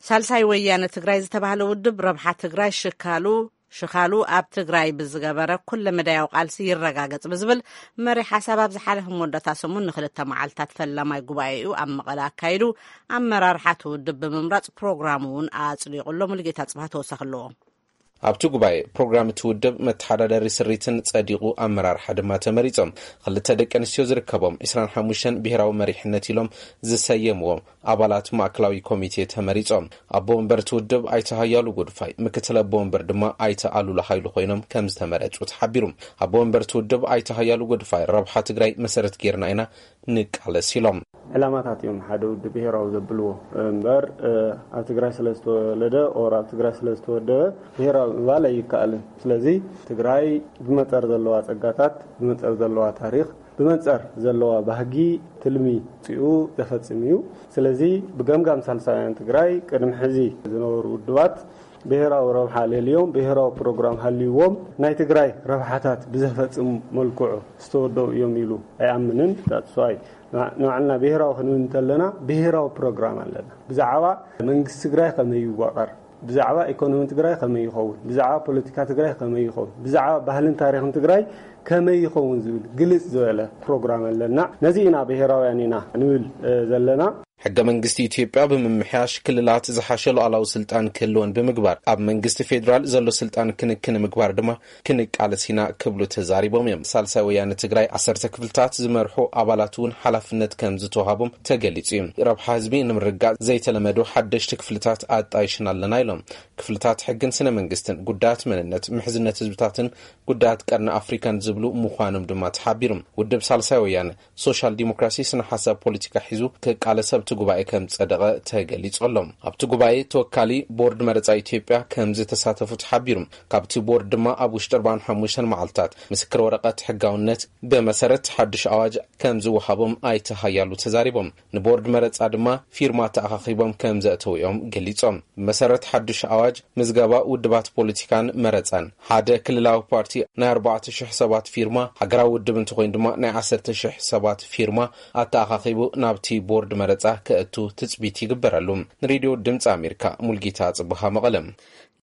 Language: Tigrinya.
ሳልሳይ ወያነ ትግራይ ዝተባህለ ውድብ ረብሓ ትግራይ ሽካሉ ሽኻሉ ኣብ ትግራይ ብዝገበረ ኩለ መዳያዊ ቃልሲ ይረጋገጽ ብዝብል መሪ ሓሳብ ኣብ ዝሓለፈ መወዳእታ ሰሙን ንክልተ መዓልታት ፈላማይ ጉባኤኡ ኣብ መቐለ ኣካይዱ፣ ኣመራርሓ እቲ ውድብ ብምምራጽ ፕሮግራሙ እውን ኣጽዲቑ ኣሎ። ሙሉጌታ ጽባህ ተወሳኺ ኣለዎ። ኣብቲ ጉባኤ ፕሮግራም እቲ ውድብ መተሓዳደሪ ስሪትን ጸዲቑ፣ ኣመራርሓ ድማ ተመሪጾም። ክልተ ደቂ ኣንስትዮ ዝርከቦም ዕስራን ሓሙሽተን ብሄራዊ መሪሕነት ኢሎም ዝሰየምዎም ኣባላት ማእከላዊ ኮሚቴ ተመሪጾም። ኣቦ ወንበር እቲ ውድብ ኣይተ ሃያሉ ጎድፋይ፣ ምክትል ኣቦ ወንበር ድማ ኣይተ ኣሉላ ሃይሉ ኮይኖም ከም ዝተመረጹ ተሓቢሩ። ኣቦ ወንበር እቲ ውድብ ኣይተ ሃያሉ ጎድፋይ፣ ረብሓ ትግራይ መሰረት ጌርና ኢና ንቃለስ ኢሎም። ዕላማታት እዮም ሓደ ውድብ ብሄራዊ ዘብልዎ እምበር፣ ኣብ ትግራይ ስለ ዝተወለደ ኦር ኣብ ትግራይ ስለ ዝተወደበ ብሄራዊ ምባል ኣይከኣልን። ስለዚ ትግራይ ብመንፅር ዘለዋ ፀጋታት፣ ብመንፅር ዘለዋ ታሪኽ፣ ብመንፅር ዘለዋ ባህጊ፣ ትልሚ ፅኡ ዘፈፅም እዩ። ስለዚ ብገምጋም ሳልሳውያን ትግራይ ቅድሚ ሕዚ ዝነበሩ ውድባት ብሄራዊ ረብሓ ለልዮም ብሄራዊ ፕሮግራም ሃልይዎም ናይ ትግራይ ረብሓታት ብዘፈፅም መልክዑ ዝተወደቡ እዮም ኢሉ ኣይኣምንን። ዳትስዋይ ንባዕልና ብሄራዊ ክንብል እንተለና ብሄራዊ ፕሮግራም ኣለና። ብዛዕባ መንግስቲ ትግራይ ከመይ ይዋቐር፣ ብዛዕባ ኢኮኖሚ ትግራይ ከመይ ይኸውን፣ ብዛዕባ ፖለቲካ ትግራይ ከመይ ይኸውን፣ ብዛዕባ ባህልን ታሪኽን ትግራይ ከመይ ይኸውን ዝብል ግልጽ ዝበለ ፕሮግራም ኣለና። ነዚ ኢና ብሄራውያን ኢና ንብል ዘለና። ሕገ መንግስቲ ኢትዮጵያ ብምምሕያሽ ክልላት ዝሓሸ ሉዓላዊ ስልጣን ክህልወን ብምግባር፣ ኣብ መንግስቲ ፌዴራል ዘሎ ስልጣን ክንክን ምግባር ድማ ክንቃለስ ኢና ክብሉ ተዛሪቦም እዮም። ሳልሳይ ወያነ ትግራይ ዓሰርተ ክፍልታት ዝመርሑ ኣባላት እውን ሓላፍነት ከም ዝተዋሃቦም ተገሊጹ እዩ። ረብሓ ህዝቢ ንምርጋጽ ዘይተለመዱ ሓደሽቲ ክፍልታት ኣጣይሽና ኣለና ኢሎም። ክፍልታት ሕግን ስነ መንግስትን፣ ጉዳያት መንነት፣ ምሕዝነት ህዝብታትን ጉዳያት ቀርኒ ኣፍሪካን ዝብሉ ምዃኖም ድማ ተሓቢሩ። ውድብ ሳልሳይ ወያነ ሶሻል ዲሞክራሲ ስነ ሓሳብ ፖለቲካ ሒዙ ክቃለስ ኣብቲ ጉባኤ ከም ዝጸደቐ ተገሊጹ ኣሎ። ኣብቲ ጉባኤ ተወካሊ ቦርድ መረጻ ኢትዮጵያ ከም ዝተሳተፉ ተሓቢሩ። ካብቲ ቦርድ ድማ ኣብ ውሽጢ ኣርባዓን ሓሙሽተን መዓልታት ምስክር ወረቐት ሕጋውነት ብመሰረት ሓድሽ ኣዋጅ ከም ዝወሃቦም ኣይተ ሃያሉ ተዛሪቦም። ንቦርድ መረጻ ድማ ፊርማ ተኣኻኺቦም ከም ዘእተውኦም ገሊጾም። ብመሰረት ሓድሽ ኣዋጅ ምዝገባ ውድባት ፖለቲካን መረጻን ሓደ ክልላዊ ፓርቲ ናይ ኣርባዕተ ሽሕ ሰባት ፊርማ፣ ሃገራዊ ውድብ እንተኾይኑ ድማ ናይ ዓሰርተ ሽሕ ሰባት ፊርማ ኣተኣኻኺቡ ናብቲ ቦርድ መረጻ ከእቱ ትጽቢት ይግበረሉ። ንሬድዮ ድምፂ ኣሜሪካ፣ ሙልጌታ ጽቡሃ፣ መቐለም።